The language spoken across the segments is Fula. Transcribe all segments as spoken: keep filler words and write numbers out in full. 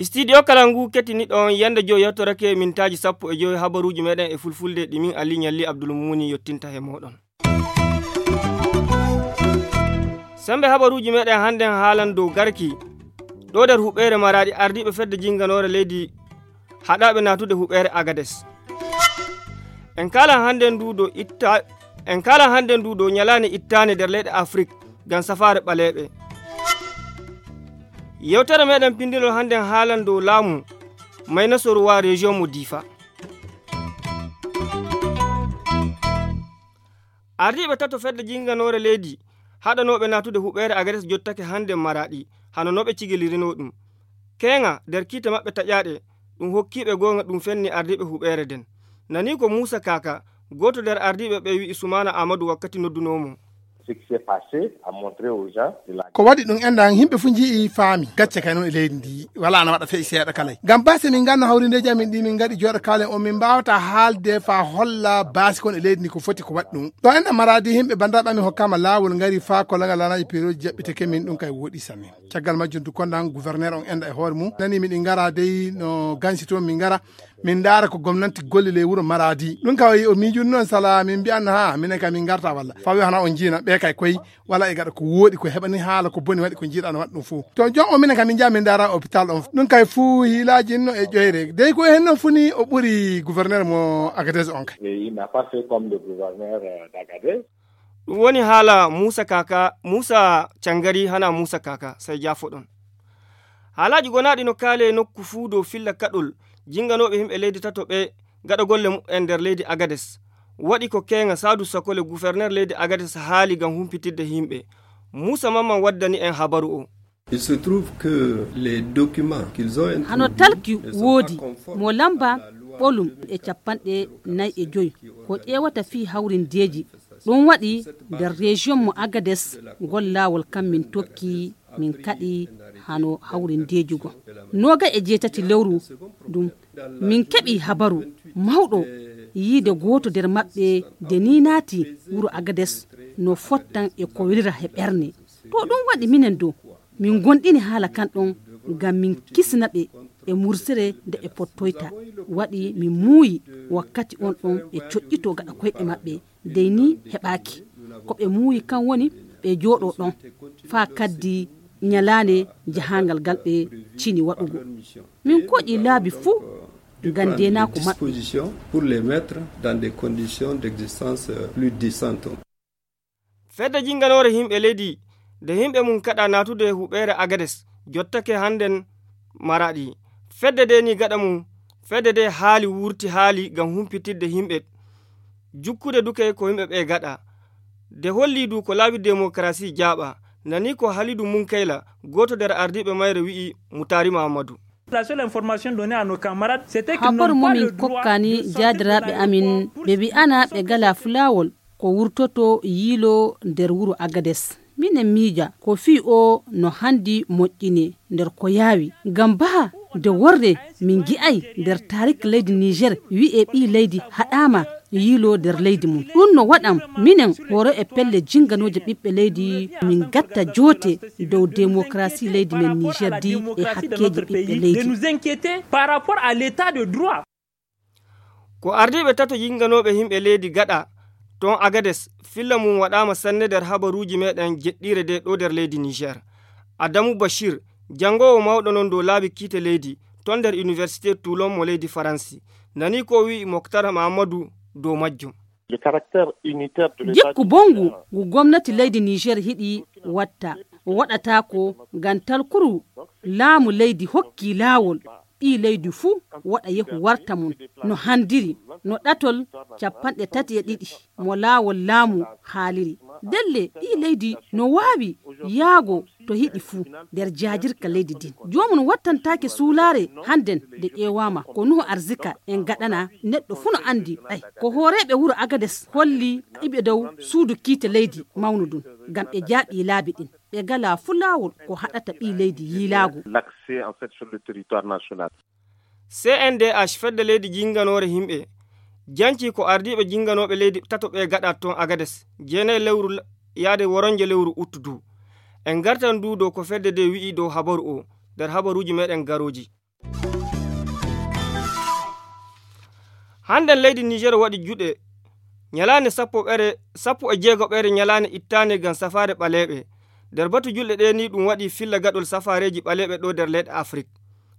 Studio Kalangu kettiniɗo on yande joyi yettorake mintaaji sappo e joyi habaruuji meɗen e fulfulde ɗi min Ali Ñalli Abdul Mumuni yottinta he moɗon. Sembe habaruuji meɗen hannden haalan dow garki ɗo nder huɓeere Maraɗi ardiiɓe fedde jinnganoore leydi haɗaaɓe naatude huɓeere Agades. En kaalan hannden ndu dow itta en kaalan hannden ndu dow ñalaande ittaande nder leyɗe Afrik ngam safaare ɓaleeɓe. Yewtere meɗen pinndinol hannden haalan dow laamu Maynasoruwa région mo Difa. Ardiiɓe tato fedde jinnganoore leydi haɗanooɓe naatude huɓeere Agades jottake hannden Maraɗi hano no ɓe cigilirino ɗum. Keeŋa nder kiite maɓɓe taƴaaɗe ɗum hokkiiɓe goonga ɗum fenni ardiiɓe huɓeere nden. Nani ko Muusa Kaaka, gooto nder ardiiɓe ɓe wi'i Sumaana Aamadu wakkati noddunoo mo. Ko waɗi ɗum enɗan yimɓe fof njii faami gacce kay noon e leydi ndi wala ana waɗa feƴi seeɗa kalay ngam base min nganno hawrindeeji amin ɗi min ngaɗi jooɗo kaalen on min mbawata haalde fa holla basi kon e leydi ndi ko foti ko waɗi ɗum ɗo enɗan maraadi yimɓe banndiraaɓe amin hokkama laawol ngari fa ko langal lanaaji piroji jaɓɓiteke min ɗum kay woɗi samin caggal majjum du konɗan gouverneur on enɗa e hoore mum nani miɗi ngara dey no gansi toon min ngara min ndaara ko gomnanti gollile e wuro maraadi ɗum kay o miijuni noon sala min mbiyanno ha minen kay min ngarta walla fawi hana on njiina ɓe kay koy wala e gaɗa ko wooɗi ko heɓani haala ko boni waɗi ko njiɗano waɗa ɗum fof to jom o minen kay min njaha min ndaara hôpital on ɗum kay fuu hiilaaji no e ƴoyre dey ko hen noon funi o ɓuri gouverneur mo Agadez on kay. Ɗum woni haala Muusa Kaka, Muusa Cangari hana Muusa Kaka, sey jaafoɗon. Haalaaji gonaaɗi no kaale e nokku fuu dow filla kaɗol jinnganooɓe yimɓe leydi tato ɓee gaɗa golle muɓɓen nder leydi Agades. Waɗi ko keeŋa Saadu Sakole guferner leydi Agades haali ngam humpitidde yimɓe. Muusa Mamman waddani en habaru o. Il se trouve que les documents qu'ils ont introduits hano talki woodi mo lamba ɓolum e capanɗe nayi e joyi ko ƴeewata fii hawrindeeji ɗum waɗi nder région mo Agades ngol laawol kam min tokki min kaɗi hano hawrindeeji goo nooga e jeetati lewru ndun min keɓi habaru mawɗo yiide gooto nder maɓɓe nde ni naati wuro Agades no fottan e ko welira he ɓerne to ɗum waɗi minen dow min ngonɗini haala kan ɗon ngam min kisna ɓe e mursere nde ɓe pottoyta waɗi min muuyi wakkati on ɗon ɓe coƴƴito gaɗa koyɗe maɓɓe dey ni heɓaaki ko ɓe muuyi kan woni ɓe jooɗo ɗon faa kaddi ñalaande jahaangal ngal ɓe cini waɗugo min koƴi laabi fuu ngam ndeenaako maɓɓe. Fedde jinnganoore yimɓe leydi nde yimɓe mum kaɗa naatude huɓeere Agades jottake hannden Maraɗi. Fedde ndee nii gaɗa mum, fedde ndee haali wuurti haali ngam humpitidde yimɓe, jukkude duke ko yimɓe ɓee gaɗa. Nde hollii du ko laabi demokarasi jaaɓa, nanii ko Halidu Munkayla, gooto nder ardiiɓe mayre wi'i Mutaari Mahammadu. Habaru mo min kokkani jaadiraaɓe amin ɓe wi'ana ɓe gala fulaawol ko wurtoto yiiloo nder wuro Agades. Minen miija ko fii oo no hanndi moƴƴinee nder ko yaawi. Ngam baa nde worre min ngi'ay nder taarik leydi Niijeer wi'ee ɓii leydi haɗaama yiiloo nder leydi mum. Ɗum no waɗan minen horo e pelle jinnganooje ɓiɓɓe leydi min ngatta joote dow demokarasi leydi men Niijeer di e hakkeeji ɓiɓɓe leydi. Ko ardiiɓe tato yinnganooɓe yimɓe leydi gaɗa toon Agades filla mum waɗaama sanne nder habaruuji meeɗen jeɗɗiire ndee ɗoo nder leydi Niijeer. Adamu Bashir, janngoowo mawɗo noon dow laabi kiite leydi toon nder Iniwersite Toulon mo leydi Faransi, nanii ko o wi'i Moktar Mahammadu dow majjum. Jikku bonngu ngu gomnati leydi Niijeer hiɗi watta, waɗataa ko ngam talkuru laamu leydi hokkii laawol ɓii leydi fuu waɗa yehu warta mum no hanndiri, no ɗatol cappanɗe tati e ɗiɗi mo laawol laamu haaliri. Ndelle ɓii leydi no waawi yaago to hiɗi fuu nder jaajirka leydi ndin. Joomum wattantaake suulaare hannden nde ƴeewaama ko Nuhu Arzika en gaɗana neɗɗo fuu no anndi ɓay ko hooreeɓe wuro Agades holli iɓe dow suudu kiite leydi mawnu ndun ngam ɓe jaaɓii laabi ɗin. Ɓe ngalaa fuu laawol ko haɗata ɓii leydi yiilaago. C N D H fedde leydi jinnganoore yimɓe Janci ko ardiiɓe jinnganooɓe leydi tato ɓe gaɗa toon Agades, jeenayi lewru la-, yaade woronje lewru ut du. En ngartan du dow ko fedde nde wi'i dow habaru o, nder habaruuji meɗen garooji. Hannden leydi Niger waɗi juɗe ñalaande sappo ɓere, sappo e jeego ɓere ñalaande ittaande ngam safaare ɓaleeɓe. Nder batu julɗe ɗe ni ɗum waɗi filla gaɗol safaareeji ɓaleeɓe ɗo nder leyɗe Afrik.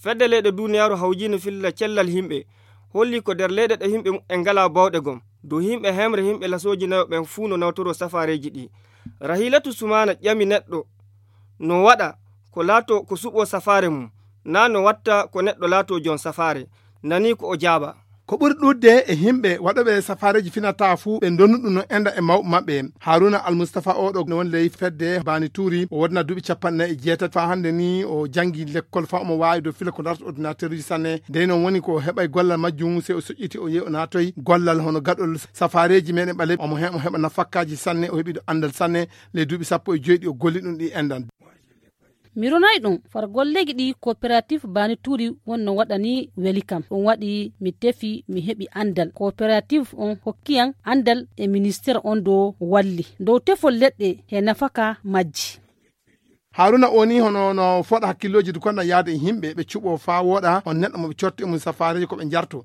Fedde leyɗe duniyaaru hawjiino filla cellal yimɓe, holli ko nder leyɗe ɗe yimɓe en ngala bawɗe gom, dow yimɓe hemre yimɓe lasooji nayo ɓen fuu no nawtoro safaareeji ɗi. Rahilatu Sumaana ƴami neɗɗo no waɗa ko laato ko suɓo safaare mum, naa no watta ko neɗɗo laato jon safaare. Nani ko o jaaba. Ko ɓuri ɗuuɗde e yimɓe waɗooɓe safaareeji finata fuu ɓe ndonu ɗum no enda e mawɓe maɓɓe. Haruna Almustafa o ɗo no woni ley fedde Bani Tuuri, o wodna duuɓi capanɗe nayi e jeetati faa hannde ni o janngi lekkol faa omo waawi dow fila ko larta ordinateur uji sanne. Dey noon woni ko o heɓay gollal majjum, sey o soƴƴiti o yehi o naatoy gollal hono gaɗol safaareeji meɗen ɓaleeɓe. Omo he-, omo heɓa nafakkaaji sanne, o heɓi ɗo anndal sanne. Ley duuɓi sappo e joy ɗi o golli ɗum ɗi endan. Mi ronay ɗum, far golleeji ɗi coopérative Bani Tuuri wonno waɗani weli kam. Ɗum waɗi mi tefi, mi heɓi anndal. Coopérative on hokkiyam anndal e ministère on dow walli. Dow tefol leɗɗe he nafaka majji. Haruna o ni hono no fooɗa hakkillooji du konda yaade e yimɓe ɓe cuɓo faa wooɗa on neɗɗo mo ɓe corti e mum safaareeji ko ɓe njarto.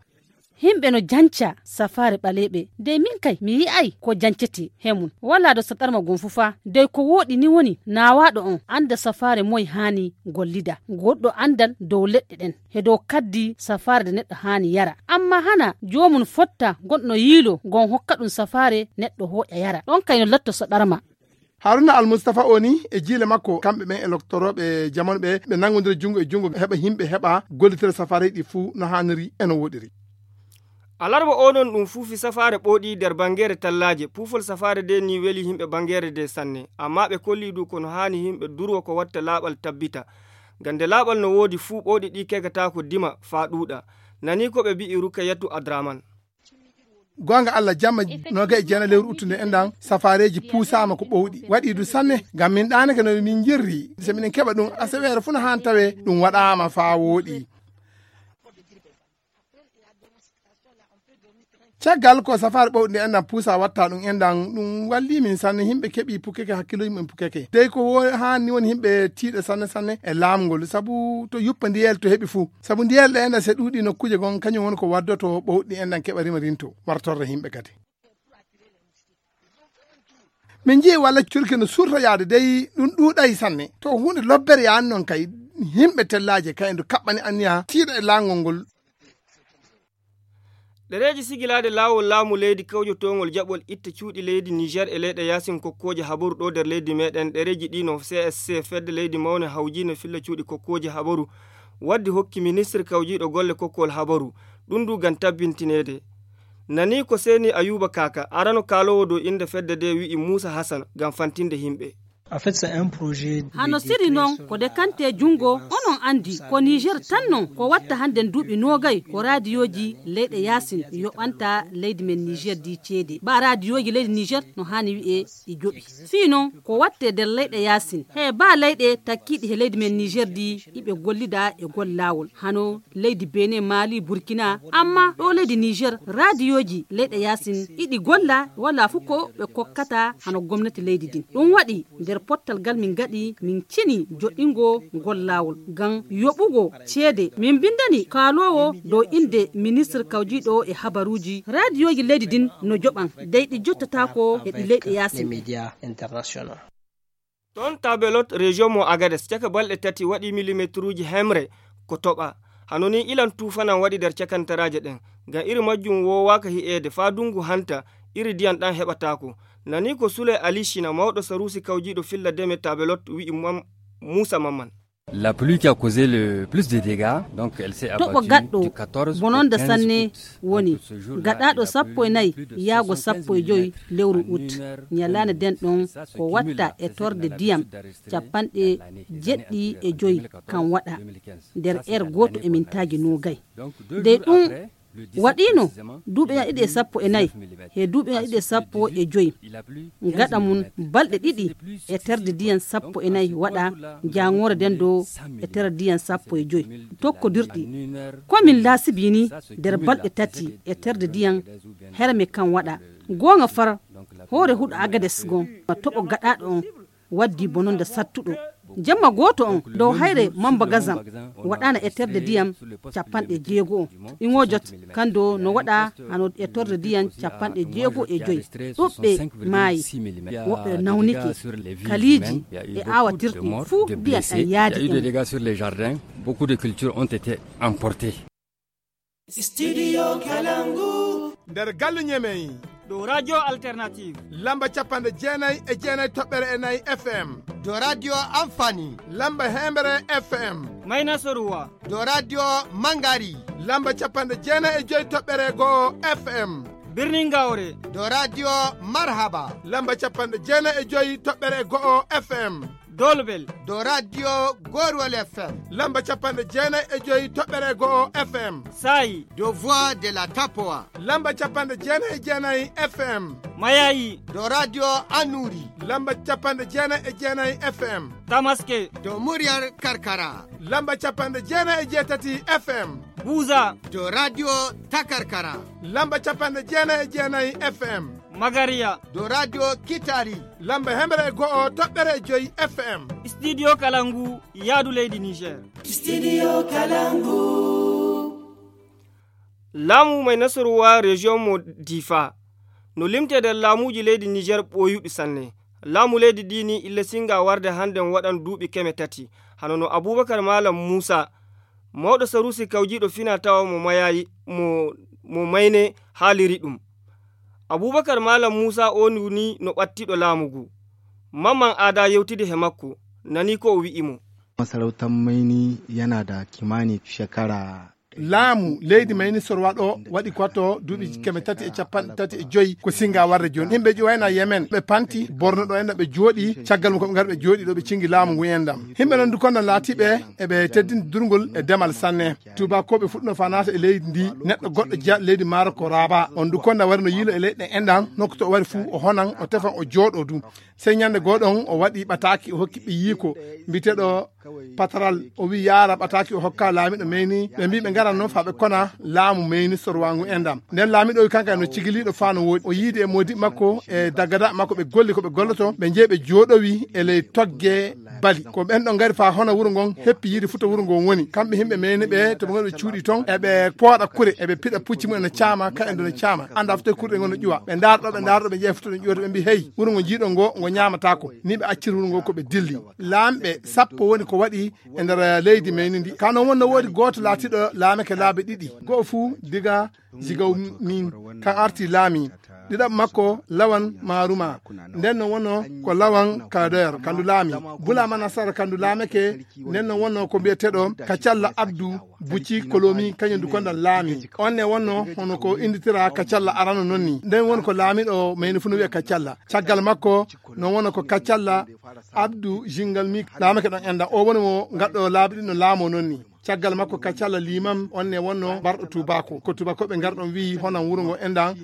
Yimɓe no janca safaare ɓaleeɓe. Dey min kay, mi yi'ay ko jancete he mum. Walaa do saɗarma gom fu faa. Dey ko wooɗi ni woni naawaaɗo on annda safaare moy haani gollida. Goɗɗo anndal dow leɗɗe ɗen, he dow kaddi safaare de neɗɗo haani yara. Amma hana joomum fotta gonɗo yiilo, gon hokka ɗum safaare neɗɗo hooƴa yara. Ɗon kay no latto saɗarma. Haruna Almustafa o ni e jiile makko, kamɓe ɓen e loktorooɓe jamanu ɓe, ɓe nanngodira junngo e junngo, heɓa yimɓe heɓa gollitira safaareeji ɗi fuu no haaniri e no wooɗiri. Alarba o non ɗum fuufi safaare ɓooɗi nder banngeere tallaaje. Puufol safaare de ni weli yimɓe banngeere de sanne, amma ɓe kolli du ko no haani yimɓe durwa ko watta laaɓal tabbita. Ngam nde laaɓal no woodi fuu ɓooɗi ɗi kegataako dima faa ɗuuɗa. Nani ko ɓe bi'i Rukayatu Adraman. Goonga Allah, jamma noogay e jeenayi lewru uttu nde enɗan, safaareeji puusaama ko ɓowɗi. Waɗi du sanne, ngam min ɗaanake no min jirri. So miɗen keɓa ɗum, aseweere fuu no haan tawee ɗum waɗaama faa wooɗi. Caggal ko safaare ɓowɗi nde enɗan puusa watta ɗum enɗan, ɗum walli min sanne. Yimɓe keɓi pukkeke, hakkilooji mum pukkeke. Dey ko wo-, haan ni woni yimɓe tiiɗa sanne sanne e laamu ngol, sabu to yuppa ndiyel to heɓi fuu. Sabu ndiyel ɗe enɗan se ɗuuɗi nokkuuje gon, kañum woni ko waddoto ɓowɗi enɗan keɓa rima rinto, wartorre yimɓe kadi. Min njii walla curki no surta yaade dey ɗum ɗuuɗay sanne. To huunde lobbere yaani noon kay, yimɓe tellaaje kay ndu kaɓɓani anniya tiiɗa e laangol ngol. Ɗereeji sigilaade laawol laamu leydi kawjotoongol jaɓol itta cuuɗi leydi Niger e leyɗe yaasin kokkooje habaru ɗo nder leydi meɗen. Ɗereeji ɗi no C S C, fedde leydi mawne hawjiino filla cuuɗi kokkooje habaru, waddi hokki ministre kawjiiɗo golle kokkol habaru. Ɗum du ngam tabbintineede. Nani ko seeni Ayuba Kaka, arano kaaloowo dow innde fedde nde wi'i Muusa Hasan ngam fantinde yimɓe. Hano siri noon ko dekante junngo, onon anndi ko Niger tan noon ko watta hannden duuɓi noogay ko raadiyooji leyɗe yaasin yoɓanta leydi men Niger di ceede. Ba raadiyooji leydi Niger no haani wi'e ɗi joɓi. Fii noon ko watte nder leyɗe yaasin. He ba leyɗe takkiiɗi he leydi men Niger di iɓe gollida e gollaawol. Hano leydi Benin, Mali, Burkina, amma ɗo leydi Niger, raadiyooji leyɗe yaasin iɗi golla, wala fu ko ɓe kokkata hano gomnati leydi din. Ɗum waɗi nder pottal ngal min ngaɗi, min cini joɗɗingo ngol laawol ngam yoɓugo ceede. Min mbindani kaaloowo dow innde ministre kawjiiɗo e habaruuji, raadiyooji leydi din no joɓan, dey ɗi jottataako e ɗi leyɗe yaasin. Toon Tabelot, région mo Agades, caka balɗe tati waɗi milimeteruuji hemre ko toɓa. Hano ni ilan tuufanan waɗi nder cakantaraaje ɗen. Ngam iri majjum woowaaka hi'eede faa dungu hanta, iri diyan ɗan heɓataako. Nani ko Sule Ali Shina, mawɗo saruusi kawjiiɗo filla deme Tabelot, wi'i Mam-, Muusa Mamman. La pluie qui a causé le plus de dégâts, donc elle s'est abattue du quatorze au quinze août. Toɓo gaɗɗo bononda sanne woni gaɗaaɗo sappo e nayi yaago sappo e joy lewru ut. Ñalaande nden ɗon ko watta e torde diyam capanɗe jeɗɗi e joy kan waɗa nder er gooto e mintaaji noogay. Dey ɗum Waɗiino duuɓi ujunnaji ɗiɗi e sappo e nayi he duuɓi ujunnaji ɗiɗi e sappo e joy. Gaɗa mum balɗe ɗiɗi e terɗe ndiyam sappo e nayi waɗa jaangoore nden dow e terɗe ndiyam sappo e joy tokkodirɗi. Komin laasibi ni nder balɗe tati e terɗe ndiyam herme kan waɗa. Goonga far hoore huɗo Agades gon ma toɓo gaɗaɗo on waddi bononda sattuɗo. Jemma gooto on dow hayre Mamba Gazam waɗaana e terɗe ndiyam capanɗe jeego on. Iŋojot kan dow no waɗa hano e terɗe ndiyam capanɗe jeego e joy. Ɗuɓɓe maayi, woɓɓe nawnike, kaliiji e aawatirɗi fuu ndiyam ɗan yaadi ɗum. Beaucoup de cultures ont été emportées. Studio Kalangu. Nder galle ñemey. Ɗo radio alternative. Lamba capanɗe jeenay e jeenay toɓɓere e nayi F M. Ɗo radio Amfani. Lamba hembre F M. Mayna Soruwa. Ɗo radio Mangari. Lamba capanɗe jeenay e joy toɓɓere go'o F M. Birnin Gaure. Ɗo radio Marhaba. Lamba capanɗe jeenay e joy toɓɓere go'o F M. Dolbel. Ɗo radio Gorwol F M. Lamba capanɗe jeenay e joy toɓɓere go'o F M. Sayi. Ɗo Voix de la Tapoa. Lamba capanɗe jeenay e jeenay F M. Mayayi. Ɗo radio Anuri. Lamba capanɗe jeenay e jeenay F M. Tamaske. Ɗo Muryar Karkara. Lamba capanɗe jeenay e jeetati F M. Buza. Ɗo radio Takarkara. Lamba capanɗe jeenay e jeenay F M. Magariya. Ɗo radio Kitari. Lamba hemre e go'o toɓɓere e joy F M. Studio Kalangu yaadu leydi Niger. Studio Kalangu. Laamu may Nasruwa région mo Difa no limtee nder laamuuji leydi Niger ɓooyuɗi sanne. Laamu leydi ndi ni illa singa warde hannden waɗan duuɓi keme tati. Hano no Abubakar Malam Muusa, mawɗo Sarusi kawjiiɗo fina tawa mo mayayi, mo, mo mayne haaliri ɗum. Abubakar Malam Muusa oo ni no ɓattiiɗo laamu ngu. Mamman Aada yewtidi he makko, nani ko o wi'i mo. Masarautar Maini yana da kimanin shekara. Laamu leydi Mayni Sorwa ɗo waɗi kwato duuɓi keme tati e capanɗe tati e joyi ko singa warde jooni. Yimɓe ƴuwayna Yemen ɓe panti Borno ɗo enɗam ɓe jooɗi, caggal mum ko ɓe ngari ɓe jooɗi ɗo ɓe cingi laamu ngu enɗam. Yimɓe non dukonno laatiɓe eɓe teddini durgol e demal sanne. Tubakoɓe fuɗɗuno fa naata e leydi ndi, neɗɗo goɗɗo jeyaɗo leydi maaro ko Raaba. On dukonno wari no yiilo e leyɗe enɗam, nokku to o wari fuu o honan, o tefan, o jooɗo du. Sey ñande goo ɗon o waɗi ɓataaki, o hokki ɓiyiiko mbiyeteeɗo Pataral, o wi'i yaara ɓataaki o hokka laamiiɗo Meyni. Ɓe mbi'i ɓe ngaran non faa ɓe kona laamu Meyni Sorwa ngu enɗam. Nden laamiiɗo o wi'i kanko no cigiliiɗo faa no wooɗi. O yiidi e moodiɓɓe makko e daggadaaɓe makko ɓe golli ko ɓe golloto, ɓe njehi ɓe jooɗowi e ley togge bali. Ko ɓen ɗon ngari faa hona wuro ngon heppi yiide futa wuro ngon woni. Kamɓe yimɓe Meyni ɓe to ɓe ngoni ɓe cuuɗi ton, eɓe pooɗa kure, eɓe piɗa pucci mum ene caama, ka en ɗo ne caama. Annda futa kurɗe ngon no ƴuwa. Ɓe ndaara ɗo, ɓe ndaara ɗo, ɓe ƴeewa futa no ƴuwata, ɓe mbi'i hey, wuro ngo jiiɗon ngo, ngo ñaamataako. Ni ɓe acciri wuro ngo ko ɓe dilli. Laamɓe sappo woni ko waɗi e nder leydi Meyni ndi. Ka non wonno woodi gooto laatiiɗo laamake laabi ɗiɗi. Go'o fuu diga Jigaw min, kan arti laami. Ɗiɗaɓo makko Lawan Maruma. Nden no wonno ko Lawan Kadoyar, kandu laami. Bulaama Nasara kandu laamake, nden no wonno ko mbiyeteeɗo Kacalla Abdu Buci Kolomi, kañum du kondan laami. On ne wonno hono ko inditira Kacalla arano non ni. Nden woni ko laamiiɗo Meyni fuu no wi'a Kacalla. Caggal makko no wonno ko Kacalla Abdu Jingal mi laamake ɗon enɗam. O woni mo ngaɗɗo laabi ɗin no laamo non ni. Caggal makko Kacalla Limam, on ne wonno barɗo Tubako. Ko Tubakoɓe ngarɗon wi'i honan wuro ngo enɗam.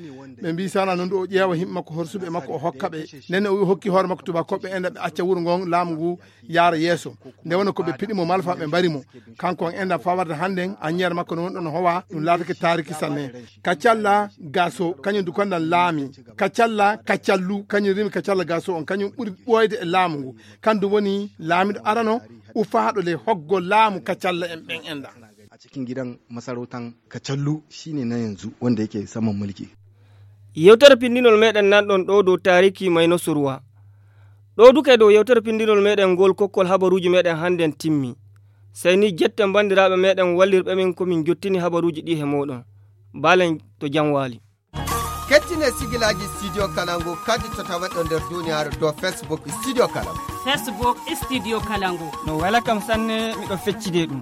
Ɓe mbi'i sana non du o ƴeewa yimɓe makko horsuɓe makko o hokka ɓe. Nden o wi'i hokki hoore makko Tubakoɓe enɗam ɓe acca wuro ngon laamu ngu yaara yeeso. Nde wonno ko ɓe piɗi mo malfa ɓe mbari mo. Kanko on enɗam faa warde hannden anniyeer makko no wonɗon no howa ɗum laatake taariki sanne. Kacalla Gaso kañum du kondan laami. Kacalla Kacallu kañum rimi Kacalla Gaso on kañum ɓuri ɓooyde e laamu ngu. Kandu woni laamiiɗo arano ufaaɗo ley hoggo laamu Kacalla en ɓen enɗam. A cikin gidan masarautan Kacallu shine na yanzu wanda yake saman mulki. Yewtere pinndinol meɗen nanɗon ɗo dow taariki Mayno Surwa. Ɗo duke dow yewtere pinndinol meɗen ngol kokkol habaruuji meɗen hannden timmi. Sey ni jetten banndiraaɓe meɗen wallirɓe min ko min jottini habaruuji ɗi he mooɗon. Baalen to jam waali. Kettine sigilaaji Studio Kalangu kadi to taweɗo nder duniyaaru dow Facebook Studio Kalangu. Facebook Studio Kalangu. No wela kam sanne miɗo feccide ɗum.